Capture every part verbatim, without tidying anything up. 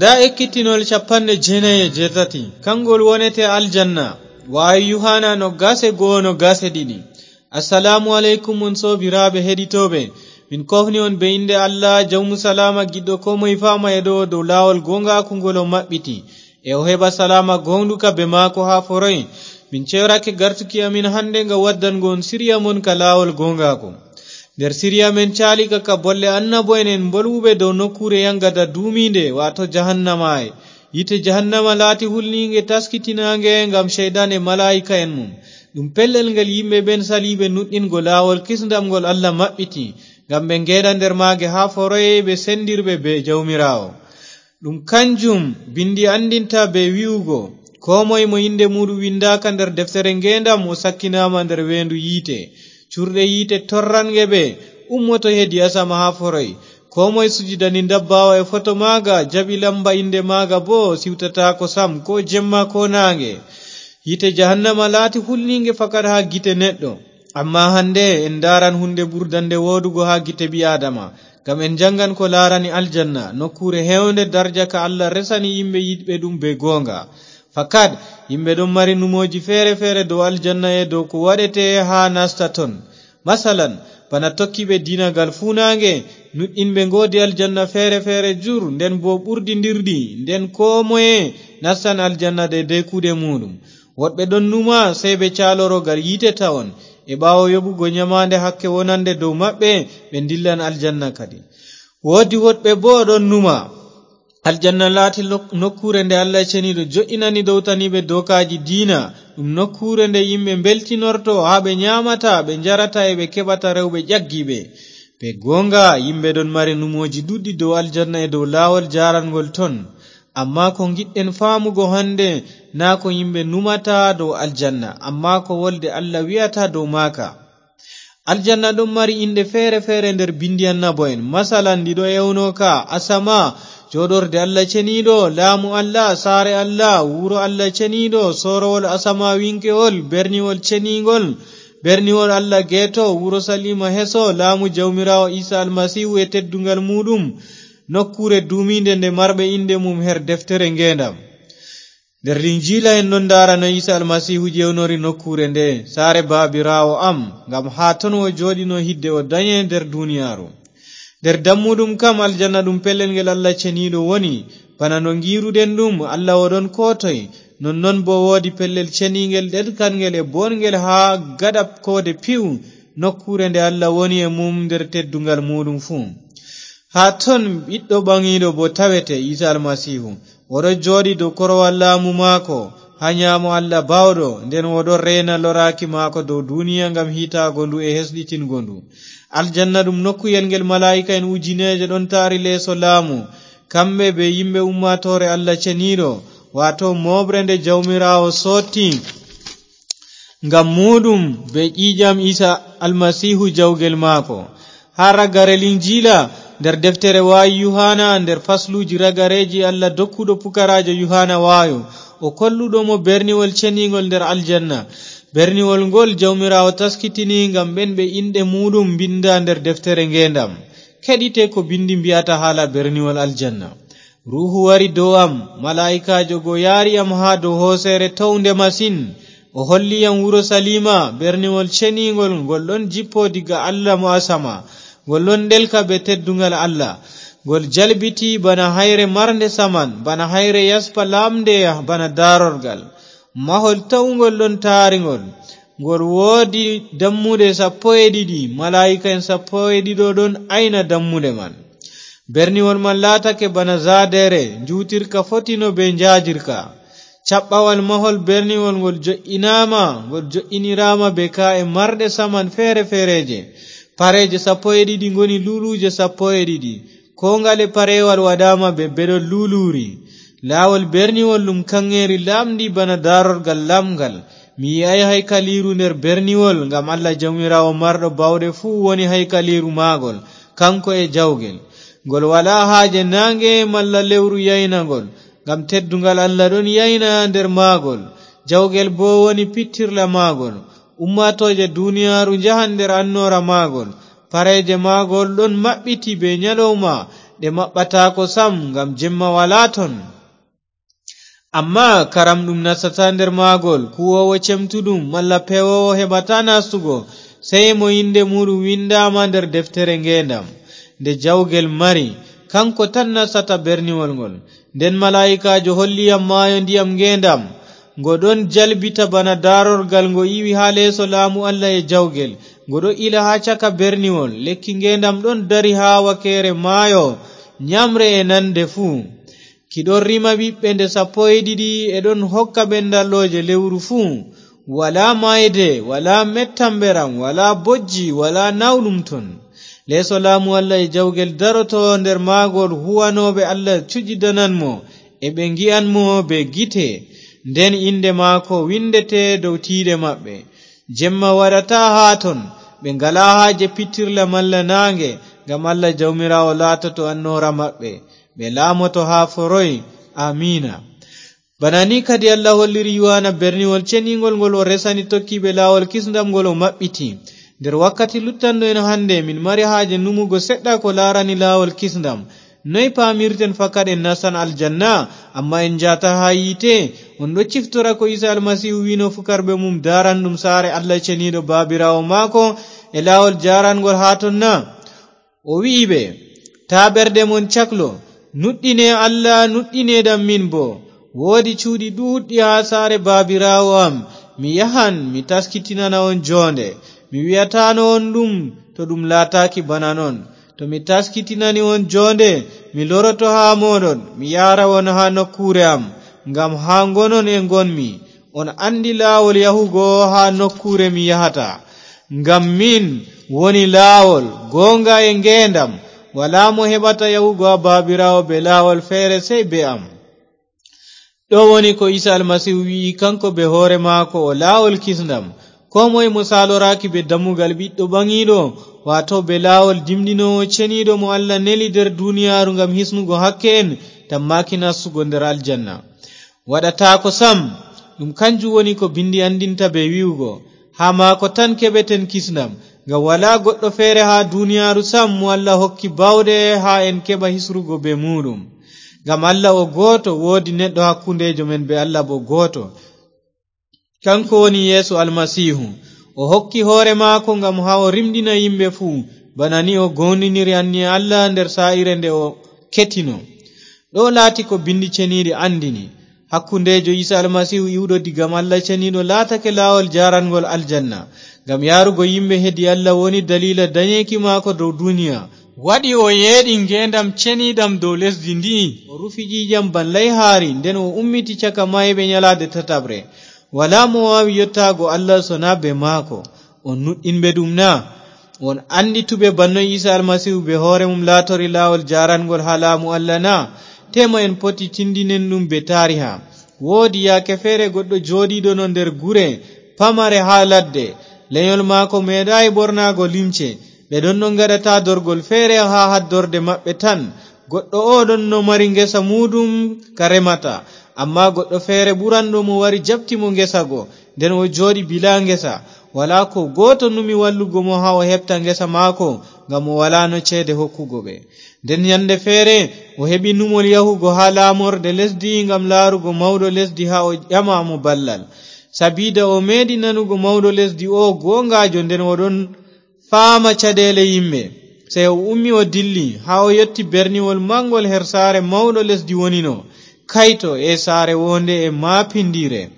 Ndaa ekkitinol capanɗe jeenayi e jeetati, kanngol wonete aljanna, waawi Yuhaana noggaas e goo, noggaas e ɗiɗi. Assalaamu aleykum, on soobiraaɓe heɗitooɓe. Min koofni on be innde Allah, Jawmu Salaama, giɗɗo koo moye faama e ɗo dow laawol gooŋgaaku ngol o maɓɓiti. E o heɓa salaama gooŋɗuka be maako haa foroy. Min ceyorake gartuki amin hande nga waddango on siriya mon ka laawol gooŋgaaku. Nder siriya men caali ka, ka bolle annabo'en en mbolwuɓe dow nokkuure yaŋgada duumiinde, waato jahannama e. Yiite jahannama laati hulniiŋge taskitinaange ngam Ceyɗan e malaa'ika'en mum. Ɗum pellel ngel yimɓe ɓen saliiɓe nuɗɗingo laawol kisndam ngol Allah maɓɓiti, ngam ɓe ngeeɗa nder maage haa foroy ɓe senndirɓe bee Jawmiraawo. Ɗum kanjum bindi anndinta bee wi'ugo, koo moy mo innde muuɗum winndaaka nder deftere ngeendam, o sakkinaama nder weendu yiite. Curɗe yiite torranŋge ɓe, ummoto hedi asama haa foroy. Koo moy sujidani ndabbaawa e foto maaga, jaɓi lamba innde maaga boo, siwtataako sam, koo jemma koo naaŋge. Yiite jahannama laati hulniiŋge fakat haa gite neɗɗo. Ammaa hande en ndaaran huunde ɓurdannde wooɗugo haa gite ɓii-Aadama, ngam en njaŋgan ko laarani aljanna, nokkuure heewnde darja ka Allah resani yimɓe yiɗɓe ɗum bee gooŋga. Fakat, yimɓe ɗon mari numooji feere-feere dow aljanna e dow ko waɗete haa nasta ton. Masalan, bana tokkiiɓe diina gal fuunaaŋge, nuɗɗinɓe ngoodi aljanna feere-feere jur, nden boo ɓurdindirɗi, nden koo moye nastan aljanna deydey kuuɗe muuɗum. Woɗɓe ɗon numa, sey ɓe caaloro gal yiite tawon. E ɓaawo yoɓugo nyamaande hakke wonande dow maɓɓe, ɓe ndillan aljanna kadi. Woodi woɗɓe boo ɗon numa, aljanna laati lok-, nokkuure nde Allah Ceniiɗo jo'inani dowtaniiɓe dookaaji diina, ɗum nokkuure nde yimɓe mbeltinorto, haa ɓe nyaamata, ɓe njarata, e ɓe keɓata rewɓe ƴaggiiɓe. Be gooŋga, yimɓe ɗon mari numooji ɗuuɗɗi dow aljanna e dow laawol jaarangol ton. Ammaa ko ngiɗɗen faamugo hande, naa ko yimɓe numata dow aljanna, ammaa ko wolde Allah wi'ata dow maaka. Aljanna ɗon mari inɗe feere-feere nder bindi annabo'en. Masalan, ɗi ɗo ewno ka: asama, jooɗorde Allah Ceniiɗo, laamu Allah, saare Allah, wuro Allah Ceniiɗo, soorowol asamaawiŋkewol, berniwol ceniiŋgol, berniwol Allah geeto, Urusaliima heso, laamu Jawmiraawo Iisa Almasiihu e tedduŋgal muuɗum, nokkuure duumiinde nde marɓe innde mum her deftere ngeendam. Nder Linjiila en ɗon ndaara no Iisa Almasiihu ewnori nokkuure nde, "Saare Baabiraawo am," ngam haa ton o jooɗino hidde o danye nder duniyaaru. Nder dammuɗum kam, aljanna ɗum pellel ngel Allah Ceniiɗo woni. Bana no ngiiruɗen ɗum, Allah o ɗon koo toy, nonnon boo woodi pellel ceniiŋgel ɗeɗkanŋgel e booɗŋgel haa gaɗa koode piw, nokkuure nde Allah woni e mum nder tedduŋgal muuɗum fuu. Haa ton Ɓiɗɗo Ɓaŋiiɗo boo tawete, Iisa Almasiihu. O ɗon jooɗi dow korowal laamu maako, haa nyaamo Allah Baawɗo, nden o ɗon reena loraaki maako dow duniya ngam hiitaago ndu e hesɗitingo ndu. Aljanna ɗum nokkuyel ngel malaa'ika'en ujineeje ɗon taari leeso laamu, kamɓe be yimɓe ummaatoore Allah Ceniiɗo, waato mooɓre nde Jawmiraawo sotti ngam muuɗum be ƴiiƴam Iisa Almasiihu jawgel maako. Haa ragare Linjiila, nder deftere Waayu Yuhaana, nder fasluuji ragareeji Allah dokkuɗo pukaraajo Yuhaana waayu, o kolluɗo mo berniwol ceniiŋgol nder aljanna. Berniwol ngol Jawmiraawo taskitini ngam ɓen ɓe inɗe muuɗum mbinda nder deftere ngeendam. Keɗite ko bindi mbi'ata haala berniwol aljanna. Ruuhu wari dow am, malaa'ikaajo go yaari am haa dow hooseere townde masin. O holli yam Urusaliima, berniwol ceniiŋgol, ngol ɗon jippo diga Allah mo asama. Ngol ɗon ɗelka be tedduŋgal Allah. Ngol jalbiti bana hayre marnde saman, bana hayre yaspa lamnde, bana daarorgal. Mahol towŋgol ɗon taari ngol. Ngol woodi dammuɗe sappo e ɗiɗi, malaa'ika'en sappo e ɗiɗo ɗon ayna dammuɗe man. Berniwol man laatake bana zaadere, njuutirka fotino be njaajirka. Caɓɓawal mahol berniwol ngol jo'inaama, ngol jo'iniraama be kaa'e marɗe saman feere-feereeje. Pareeje sappo e ɗiɗi ngoni luuluuje sappo e ɗiɗi. Koo ngale pareewal waɗaama be beɗol luuluuri. Laawol berniwol ɗum kaŋŋeeri laaɓndi bana daarorgal laaɓngal. Mi yi'aay haykaliiru nder berniwol, ngam Allah Jawmiraawo marɗo baawɗe fuu woni haykaliiru maagol, kaŋko e jawgel. Ngol walaa haaje naaŋge malla lewru yayna ngol, ngam tedduŋgal Allah ɗon yayna nder maagol. Jawgel boo woni pittirla maagol. Ummaatooje duniyaaru njahan nder annoora maagol. Pareeje maagol ɗon maɓɓiti bee nyalawma, ɗe maɓɓataako sam, ngam jemma walaa ton. Ammaa karam ɗum nastata nder maagol, kuwoowo cemtuɗum malla pewoowo heɓataa nastugo, sey mo innde muuɗum winndaama nder deftere ngeendam nde jawgel mari, kanko tan nastata berniwol ngol. Nden malaa'ikaajo holli yam maayo ndiyam ngeendam, ngo ɗon jalbita bana daarorgal ngo iwi haa leeso laamu Allah e jawgel. Ngo ɗon ila haa caka berniwol. Lekki ngeendam ɗon dari haa wakeere maayo, nyamre e nande fuu. Ki ɗon rima ɓiɓɓe nde sappo e ɗiɗi, e ɗon hokka ɓendallooje lewru fuu. Walaa maayde, walaa mettamberam, walaa bojji, walaa nawɗum ton. Leeso laamu Allah e jawgel daroto nder maagol, huwanooɓe Allah cujidanan mo, e ɓe ngi'an mo bee gite. Nden innde maako winndete dow tiiɗe maɓɓe. Jemma waɗataa haa ton, ɓe ngalaa haaje pittirla malla naange, ngam Allah Jawmiraawo laatoto annoora maɓɓe. Ɓe laamoto haa foroy. Aamiina. Bana ni kadi Allah holliri Yuhaana berniwol ceniiŋgol ngol o resani tokkiiɓe laawol kisndam ngol o maɓɓiti. Nder wakkati luttanɗo en hannde, min mari haaje numugo seɗɗa ko laarani laawol kisndam. Noy paamirten fakat en nastan aljanna, ammaa en njaata haa yiite? On ɗo ciftora ko Iisa Almasiihu wi'no fukarɓe mum daaran ɗum saare Allah ceniiɗo Baabiraawo maako e laawol jaaranŋgol haa ton na? O wi'i ɓe, "Taa ɓerɗe mon caklo, nuɗɗine Allah, nuɗɗineeɗam min boo. Woodi cuuɗi ɗuuɗɗi haa saare Baabiraawo am. Mi yahan, mi taskitinana on joonde. Mi wi'ataano on ɗum, to ɗum laataaki bana non. To mi taskitinani on joonde, mi loroto haa mooɗon, mi yahra on haa nokkuure am, ngam haa ngonon e ngonmi. On anndi laawol yahugo haa nokkuure mi yahata. Ngam min woni laawol, gooŋga e ngeendam. Walaa mo heɓata yahugo haa Baabiraawo bee laawol feere sey bee am." Ɗo woni ko Iisa Almasiihu wi'i, kanko bee hoore maako o laawol kisndam. Koo moy mo saaloraaki bee dammugal Ɓiɗɗo Ɓaŋiiɗo, waato bee laawol dimɗinoowo ceniiɗo mo Allah neli nder duniyaaru ngam hisnugo hakke'en, tammaaki nastugo nder aljanna. Waɗataako sam. Ɗum kanjum woni ko Binndi anndinta bee wi'ugo, "Haa maako tan keɓeten kisndam." Ngam walaa goɗɗo feere haa duniyaaru sam mo Allah hokki baawɗe haa en keɓa hisrugo bee muuɗum. Ngam Allah o gooto, woodi neɗɗo hakkundeejo men bee Allah boo gooto. Kanko woni Yeesu Almasiihu. O hokki hoore maako ngam haa o rimɗina yimɓe fuu, bana ni o gooŋɗiniri anniya Allah nder saa'ire nde o ketino. Ɗo laati ko Binndi Ceniiɗi anndini. Hakkundeejo Iisa Almasiihu iwɗo diga Allah Ceniiɗo laatake laawol jaaranŋgol aljanna. Ngam yahrugo yimɓe hedi Allah woni daliila danyeeki maako dow duniya. Waɗi o yeeɗi ngeendam ceniiɗam dow lesdi ndi'i. O rufi ƴiiƴam ban layhaari, nden o ummiti caka maayɓe nyalaade tataɓre. Walaa mo waawi yottaago Allah sonaa bee maako. On nuɗɗinɓe ɗum na? On anndi to be banno Iisa Almasiihu bee hoore mum laatori laawol jaaranŋgol haa laamu Allah na? Teema en poti tindinen ɗum bee taariha. Woodi yaake feere goɗɗo jooɗiiɗono nder gure pamare haa ladde. Lenyol maako meeɗaay ɓornaago limce. Ɓe ɗonno ngaɗa taadorgol feere haa haddorde maɓɓe tan. Goɗɗo oo ɗonno mari ngesa muuɗum ka remata. Ammaa goɗɗo feere ɓuranɗo mo wari jaɓti mo ngesa go. Nden o jooɗi bilaa ngesa. Walaa koo gooto numi wallugo mo haa o heɓta ngesa maako, ngam o walaano ceede hokkugo ɓe. Nden nyande feere, o heɓi numol yahugo haa laamorde lesdi ngam laarugo mawɗo lesdi haa o ƴama mo ballal. Sabiida o meeɗi nanugo mawɗo lesdi oo gooŋgaajo nden o ɗon faama caɗeele yimɓe. Sey o ummi o dilli haa o yotti berniwol maŋngol her saare mawɗo lesdi wonino. Kayto, e saare woonde e maapindiire!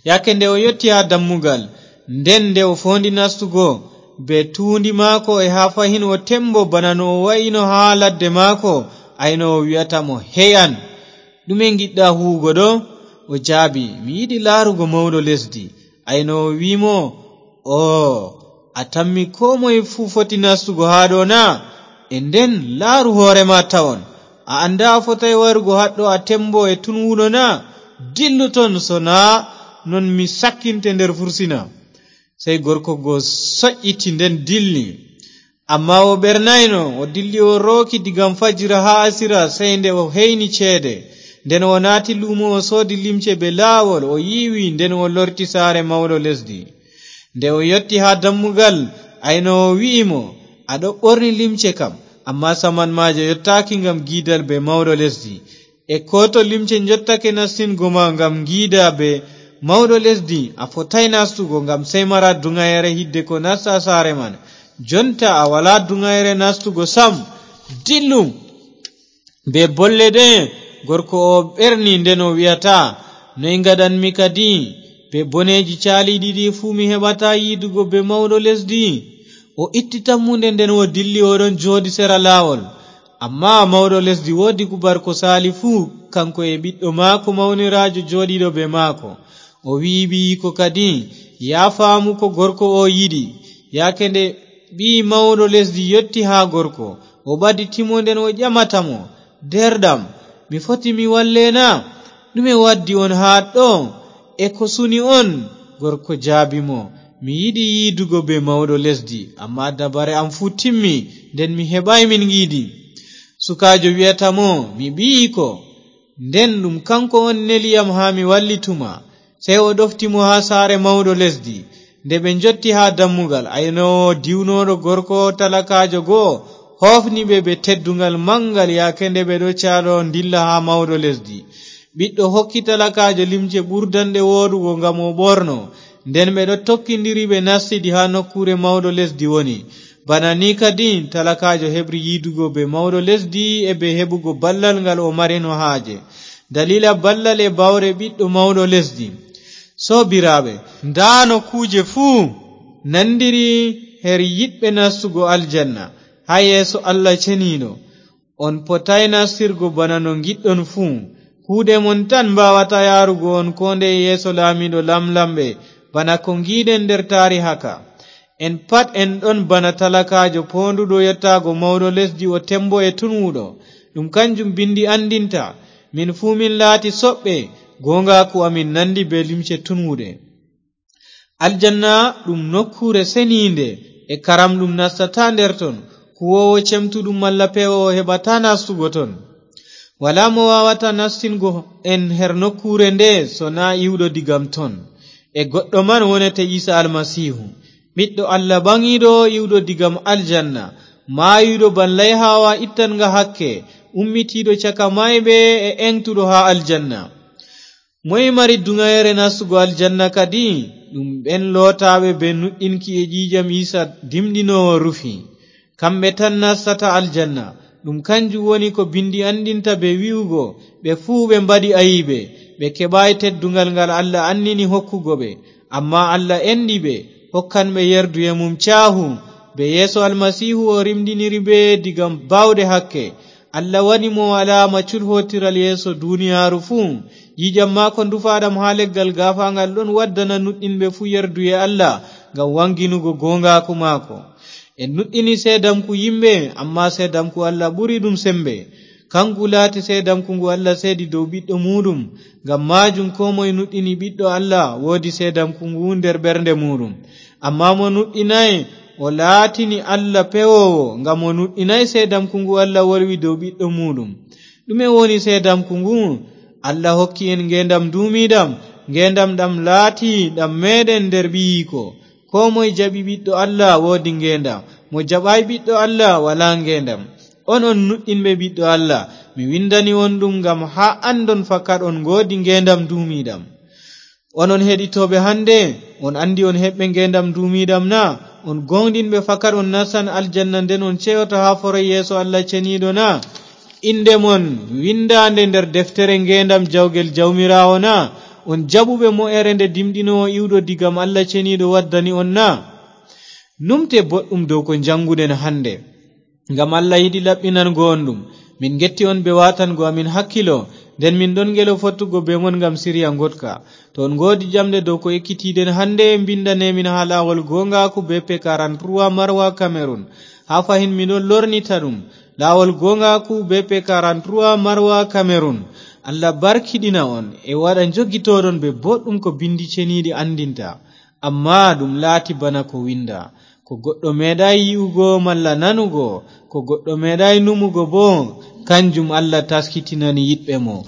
Yaake nde o yotti haa dammugal, nden nde o foondi nastugo bee tuundi maako e haa fahin o tembo bana no o wa'ino haa ladde maako, aynoowo wi'ata mo, "Hey an, ɗume ngiɗɗa huugo ɗo?" O jaabi, "Mi yiɗi laarugo mawɗo lesdi." Aynoowo wi'i mo, "Oo, a tammi koo moy fuu foti nastugo haa ɗo na? E nden laaru hoore ma tawon. A anndaa a fotaay warugo haɗɗo a tembo e tunwuɗo na? Dillu ton, sonaa non mi sakkinte nder fursina." Sey gorko go soƴƴiti nden dilli. Ammaa o ɓernayno, o dilli o rooki diga fajira haa asira, sey nde o heyni ceede. Nden o naati luumo o soodi limce bee laawol, o yiiwi, nden o lorti saare mawɗo lesdi. Nde o yotti haa dammugal, aynoowo wi'i mo, "A ɗo ɓorni limce kam, Amma saman maaje yottaaki ngam giidal be mawɗo lesdi. E kooto limce njottake nastingo ma ngam giida be mawɗo lesdi, a fotaay nastugo, ngam sey mara duŋayere hidde ko nasta saare man. Jonta a walaa duŋayere nastugo sam. Dillu! Be bolle ɗe gorko o ɓerni, nden o wi'ata, "Noy ngaɗanmi kadi? Be boneeji caaliiɗi ɗi fuu mi heɓata yiidugo be mawɗo lesdi." O itti tammunde, nden o dilli, o ɗon jooɗi sera laawol. Amma mawɗo lesdi woodi kubar ko saali fuu, kanko e ɓiɗɗo maako mawniraajo jooɗiiɗo be maako. O wi'i ɓiyiiko kadi, "Yaa faamu ko gorko o yiɗi." Yaake nde ɓii mawɗo lesdi yotti haa gorko, o ɓaditi mo, nden o ƴamata mo, "Deerɗam, mi foti mi walle na? Ɗume waddi on haa ɗo? E ko suni on?" Gorko jaabi mo, "Mi yiɗi yiidugo be mawɗo lesdi, amma dabare am fuu timmi, nden mi heɓaay min yiidi." Sukaajo wi'ata mo, "Mi ɓiyiiko, nden ɗum kanko on neli yam haa mi wallituma." Sey o ɗofti mo haa saare mawɗo lesdi. Nde ɓe njotti haa dammugal, aynoowo diwnooɗo gorko talakaajo go'o hoofni ɓe be tedduŋgal maŋgal, yaake nde ɓe ɗo caalo ndilla haa mawɗo lesdi. Ɓiɗɗo hokki talakaajo limce ɓurdanɗe wooɗugo ngam o ɓorno. Nden ɓe ɗo tokkindiri, ɓe nastidi haa nokkuure mawɗo lesdi woni. Bana ni kadi talakaajo heɓri yiidugo be mawɗo lesdi e be heɓugo ballal ngal o marino haaje, daliila ballal e baawɗe ɓiɗɗo mawɗo lesdi. Soobiraaɓe, ndaa no kuuje fuu nandiri her yiɗɓe nastugo aljanna haa yeeso Allah ceniiɗo. On potaay nastirgo bana no ngiɗɗon fuu. Kuuɗe mon tan mbaawata yaarugo on koo ndeye yeeso laamiiɗo lamlamɓe, bana ko ngiiɗen nder taariha ka. En pat en ɗon bana talakaajo poonduɗo yottaago mawɗo lesdi, o tembo e tunwuɗo. Ɗum kanjum bindi anndinta. Min fuu min laati soɓɓe, gooŋgaaku amin nandi bee limce tunwuɗe. Aljanna ɗum nokkuure seniinde, e karam ɗum nastataa nder ton. Kuwoowo cemtuɗum malla pewoowo heɓataa nastugo ton. Walaa mo waawata nastingo en her nokkuure nde, so naa iwɗo digam ton. E goɗɗo man wonete Iisa Almasiihu, ɓiɗɗo Allah ɓaŋiiɗo, iwɗo digam aljanna, maayuɗo ban layhaawa ittanga hakke, ummitiiɗo caka maayɓe e eŋtuɗo haa aljanna. Moy mari duŋayere nastugo aljanna kadi? Ɗum ɓen lootaaɓe be nuɗɗinki e ƴiiƴam Iisa dimɗinoowo rufi. Kamɓe tan nastata aljanna. Ɗum kanjum woni ko bindi anndinta be wi'ugo, "Ɓe fuu ɓe mbaɗi ayiibe, ɓe keɓaay tedduŋgal ngal Allah annini hokkugo ɓe. Ammaa Allah enɗi ɓe, hokkan ɓe yerduye mum caahu." Be yeeso Almasiihu o rimɗiniri ɓe diga baawɗe hakke. Allah waɗi mo alaama culhootiral yeeso duniyaaru fuu. Ƴiiƴam maako ndufaaɗam haa leggal gaafaaŋgal ɗon waddana nuɗɗinɓe fuu yerduye Allah ngam waŋginugo gooŋgaaku maako. En nuɗɗini seedamku yimɓe, ammaa seedamku Allah ɓuri ɗum sembe. Kaŋgu laati seedamku ngu Allah seedi dow Ɓiɗɗo muuɗum. Ngam maajum koo moy nuɗɗini Ɓiɗɗo Allah woodi seedamku ngu nder ɓernde muuɗum. Ammaa mo nuɗɗinaay, o laatini Allah pewoowo, ngam o nuɗɗinaay seedamku ngu Allah wolwi dow Ɓiɗɗo muuɗum. Ɗume woni seedamku ngu? Allah hokki en ngeendam nduumiiɗam, ngeendam ɗam laati ɗam meeɗen nder Ɓiyiiko. Koo moy jaɓi Ɓiɗɗo Allah woodi ngeendam, mo jaɓaay Ɓiɗɗo Allah walaa ngeendam. On on nuɗɗinɓe Ɓiɗɗo Allah, mi windani on ɗum ngam haa anndon fakat on ngoodi ngeendam nduumiiɗam. Onon heɗitooɓe hannde, on anndi on heɓɓe ngeendam nduumiiɗam na? On gooŋɗinɓe fakat on nastan aljanna nden on ceyoto haa foroy yeeso Allah ceniiɗo na? Innde mon windaande nder deftere ngeendam jawgel Jawmiraawo na? On jaɓuɓe mo'ere nde dimɗinoowo iwɗo digam Allah ceniiɗo waddani on na? Numte boɗɗum dow ko njaŋnguɗen hannde. Ngam Allah yiɗi laɓɓinango on ɗum. Min ngetti on bee waatango amin hakkilo, nden min ɗon ngelo fottugo bee mon ngam sirya ngoɗka. To on ngoodi ƴamɗe dow ko ekkitiiɗen hannde, mbinndane min haa laawol gooŋgaaku B P quarante-trois Marwa Cameroun. Haa fahin mi ɗon lornita ɗum. Laawol gooŋgaaku B P quarante-trois Marwa Cameroun. Allah barkiɗina on e waɗa njogitooɗon bee boɗɗum ko binndi ceniiɗi anndinta. Ammaa ɗum laati bana ko winda, "Ko goɗɗo meeɗaay yi'ugo malla nanugo, ko goɗɗo meeɗaay numugo boo, kanjum Allah taskitinani yiɗɓe mo."